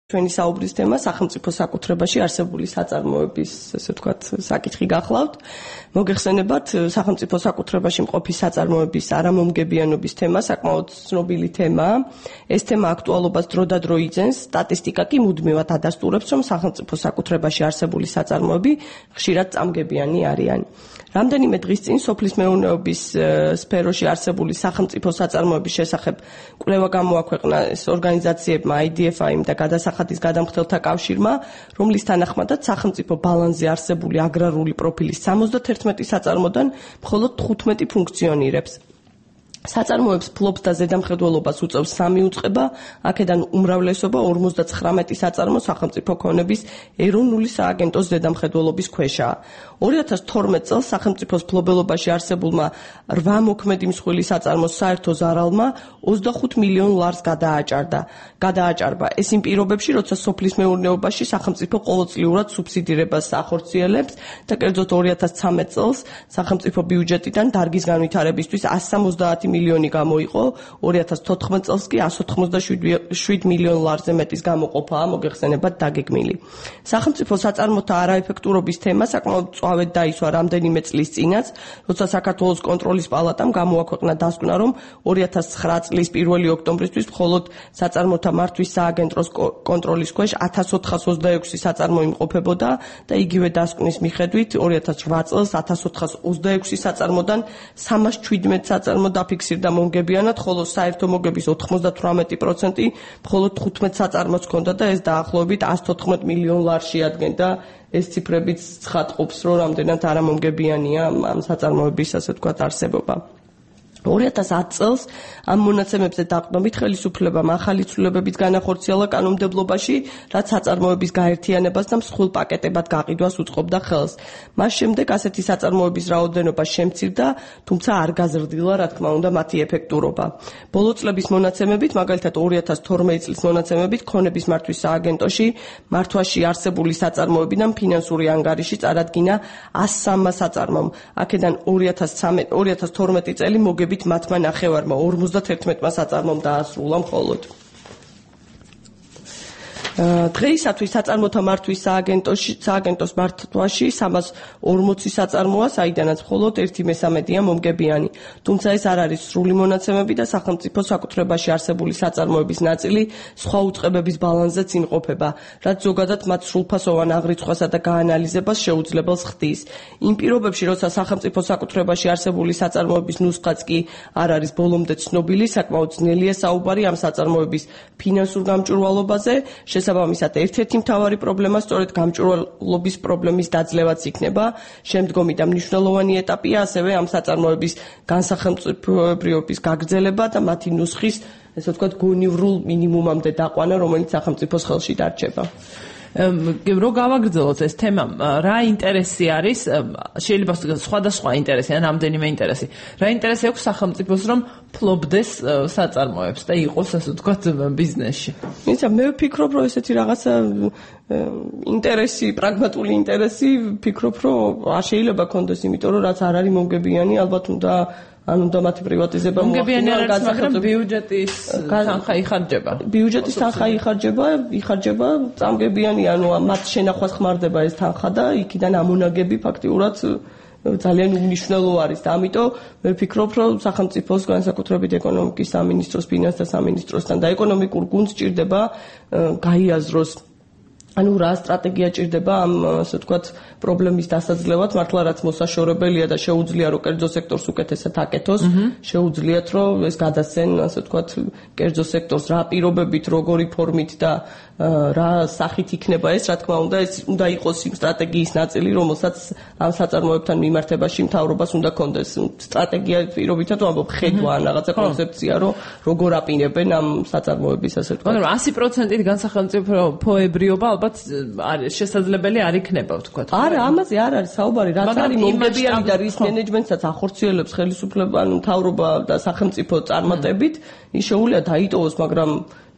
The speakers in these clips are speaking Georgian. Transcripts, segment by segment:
ჩვენი საუბრის თემა სახელმწიფო საკუთრებაში არსებული საწარმოების, ესე ვთქვათ, საკითხი გახლავთ. მოგეხსენებათ, სახელმწიფო საკუთრებაში მყოფი საწარმოების არამომგებიანობის თემა საკმაოდ ცნობილი თემაა. ეს თემა აქტუალობას დროდადრო იძენს, სტატისტიკა კი მუდმივად ადასტურებს, რომ სახელმწიფო საკუთრებაში არსებული საწარმოები ხშირად წამგებიანი არიან. რამდენიმე დღის წინ სოფლის მეურნეობის სფეროში არსებული სახელმწიფო საწარმოების შესახებ კვლევა გამოაქვეყნა ორგანიზაციებმა IDFI და გადასახადის გადამხდელთა კავშირმა, რომლის თანახმადაც სახელმწიფო ბალანსზე არსებული აგრარული პროფილის 71 საწარმოდან მხოლოდ 15 ფუნქციონირებს. საწარმოებს ფლობს და ზედამხედველობას უწევს 3 უწყება, აქედან უმრავლესობა 59 საწარმო სახელმწიფო ქონების ეროვნული სააგენტოს ზედამხედველობის ქვეშაა. 2012 წელს სახელმწიფოს ფლობელობაში არსებულმა 8 მოქმედი მსხვილი საწარმოს საერთო ზარალმა 25 მილიონ ლარს გადააჭარბა. ეს იმ პირობებში, როცა სოფლის მეურნეობაში სახელმწიფო ყოველწლიურად სუბსიდირებას ახორციელებს და კერძოდ 2013 წელს სახელმწიფო ბიუჯეტიდან დარგის განვითარებისთვის 170 მილიონი გამოიყო, 2014 წელს კი 187 მილიონ ლარზე მეტის გამოყოფაა მოგეხსენებათ დაგეგმილი. სახელმწიფო საწარმოთა არაეფექტურობის თემა საკმაოდ წვავედ დაისვა რამდენიმე წლის წინაც, როცა საქართველოს კონტროლის პალატამ გამოაქვეყნა დასკვნა, რომ 2009 წლის 1 ოქტომბრისთვის მხოლოდ საწარმოთა მართვის სააგენტოს კონტროლის ქვეშ 1426 საწარმო იმყოფებოდა და იგივე დასკვნის მიხედვით 2008 წელს 1426 საწარმოდან 317 საწარმო დაფიქსირდა მომგებიანად, ხოლო საერთო მოგების 98% მხოლოდ 15 საწარმოც ჰქონდა და ეს დაახლოებით 114 მილიონ ლარს შეადგენდა. ეს ციფრებიც ცხადყოფს, რომ რამდენად არამომგებიანია ამ საწარმოების, ასე ვთქვათ, არსებობა. 2010 წელს ამ მონაცემებზე დაყრდნობით ხელისუფლებამ ახალი ცვლილებებით განახორციელა კანონმდებლობაში, რაც საწარმოების გაერთიანებას და მსხვილ პაკეტებად გაყიდვას უწყობდა ხელს. მას შემდეგ ასეთი საწარმოების რაოდენობა შემცირდა, თუმცა არ გაზრდილა, რა თქმა უნდა, მათი ეფექტურობა. ბოლო წლების მონაცემებით, მაგალითად 2012 წლის მონაცემებით, ქონების მართვის სააგენტოში მართვაში არსებული საწარმოებიდან ფინანსური ანგარიში წარადგინა 103 საწარმომ. აქედან 2012 წელი მოგებით მათმა ნახევარმა 51 საწარმომ დაასრულა მხოლოდ. დღეისათვის საწარმოთა მართვის სააგენტოს მართვაში 340 საწარმოა, საიდანაც მხოლოდ 1/3 მომგებიანი. თუმცა ეს არ არის სრული მონაცემები და სახელმწიფო საკუთრებაში არსებული საწარმოების ნაწილი სხვა უწყებების ბალანსზეც იმყოფება, რაც ზოგადად მათ სრულფასოვან აღრიცხვასა და გაანალიზებას შეუძლებელს ხდის. იმ პირობებში, როცა სახელმწიფო საკუთრებაში არსებული საწარმოების ნუსხაც კი არ არის ბოლომდე ცნობილი, საკმაოდ ძნელია საუბარი ამ საწარმოების ფინანსურ გამჭვირვალობაზე. შესაბამისად, ერთ-ერთი მთავარი პრობლემა სწორედ გამჭვირვალობის პრობლემის დაძლევაც იქნება. შემდგომი და მნიშვნელოვანი ეტაპია ასევე ამ საწარმოების განსახელმწიფოებრიობის გაგრძელება და მათი ნუსხის, ესე ვთქვათ, გონივრულ მინიმუმამდე დაყვანა, რომელიც სახელმწიფოს ხელში დარჩება. რო გავაგრძელოთ ეს თემა, რა ინტერესი არის, შეიძლება სხვადასხვა ინტერესი, ან რამდენიმე ინტერესი. რა ინტერესი აქვს სახელმწიფოს, რომ ფლობდეს საწარმოებს და იყოს, ასე ვთქვათ, ბიზნესში? მე ვფიქრობ, რომ ესეთი რაღაცა ინტერესი, პრაგმატული ინტერესი, ვფიქრობ, რომ არ შეიძლება ქონდეს, იმიტომ რომ რაც არ არის მომგებიანი, ალბათ უნდა მათი პრივატიზება მომგებიანი არ არის, მაგრამ ბიუჯეტის თანხა იხარჯება. ბიუჯეტის თანხა იხარჯება, წამგებიანი, ანუ მათ შენახვას ხმარდება ეს თანხა და იქიდან ამონაგები ფაქტიურად ძალიან უმნიშვნელო არის და ამიტომ მე ვფიქრობ, რომ სახელმწიფოს განსაკუთრებით ეკონომიკის სამინისტროს, ფინანსთა სამინისტროსთან და ეკონომიკურ გუნდს ჭირდება გაიაზროს ანუ რა სტრატეგია ჭირდება ამ, ასე ვთქვათ, პრობლემის დასაძლევად, მართლა რაც მოსაშორებელია და შეუძლია რომ კერძო სექტორს უკეთესად აკეთოს, შეუძლიათ რომ ეს გადასცენ, ასე ვთქვათ, კერძო სექტორს რა პირობებით, როგორი ფორმით და რა სახით იქნება ეს, რა თქმა უნდა, ეს უნდა იყოს იმ სტრატეგიის ნაწილი, რომელსაც ამ საწარმოებთან მიმართებაში მთავრობას უნდა კონდეს. სტრატეგია პირობითად ვამბობ, ხედვა ან რაღაცა კონცეფცია, რომ როგორ აპირებენ ამ საწარმოების, ასე ვთქვათ. მაგრამ 100%-ით განსახელმწიფოებრიობა ალბათ შესაძლებელი არ იქნება, ვთქვათ. არა, ამაზე არ არის საუბარი, რაც არის მომგებიანი და რის მენეჯმენტსაც ახორციელებს ხელისუფლება, ანუ მთავრობა და სახელმწიფო წარმატებით, ის შეუძლია დაიტოვოს, მაგრამ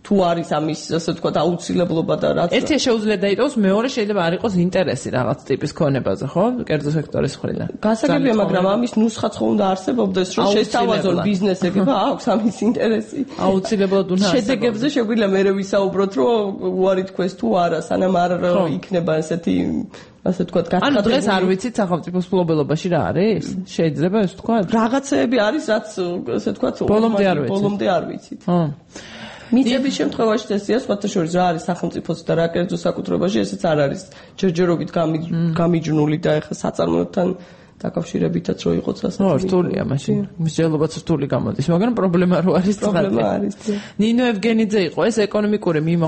თუ არის ამის ასე ვთქვათ აუცილებლობა და რაც ერთი შეუძლია დაიტოვოს, მეორე შეიძლება არ იყოს ინტერესი რაღაც ტიპის ქონებაზე, ხო? კერძო სექტორის მხრიდან. გასაგებია, მაგრამ ამის ნუსხაც ხო უნდა არსებობდეს, რომ შესთავაზონ ბიზნესები, აქვს ამის ინტერესი. აუცილებლად უნდა არსებობდეს. შედეგებზე შეგვიძლია მერე ვისაუბროთ, რომ უარი თქვეს თუ არა, სანამ არ იქნება ესეთი ასე ვთქვათ გათხოვებული. ანუ დღეს არ ვიცით სახელმწიფოს ფლობელობაში რა არის? შეიძლება ეს ვთქვათ? რაღაცეები არის, რაც ასე ვთქვათ, ბოლომდე არ ვიცით. მიწების შემთხვევაში წესია სხვათა შორის რა არის სახელმწიფოს და რა კერძო საკუთრებაში, ესეც არ არის ჯერჯერობით გამიჯნული და ეხლა საწარმოებთან დაკავშირებითაც რო იყოს ასე. რთულია მაშინ. მსჯელობაც რთული გამოდის, მაგრამ პრობლემა რო არის. პრობლემა არის. ნინო ევგენიძე იყო ეს ეკონომიკური მიმოხილვე